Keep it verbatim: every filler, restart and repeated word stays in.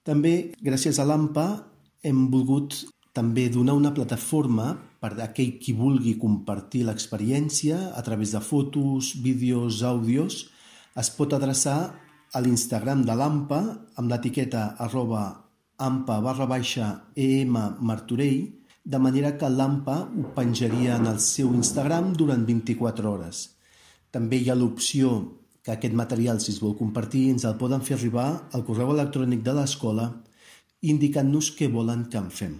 També, gràcies a l'AMPA, hem volgut també donar una plataforma per a aquell qui vulgui compartir l'experiència a través de fotos, vídeos, àudios. Es pot adreçar a l'Instagram de l'AMPA amb l'etiqueta arroba ampa barra baixa em martorell, de manera que l'AMPA ho penjaria en el seu Instagram durant vint-i-quatre hores. També hi ha l'opció que aquest material, si es vol compartir, ens el poden fer arribar al correu electrònic de l'escola indicant-nos què volen que en fem.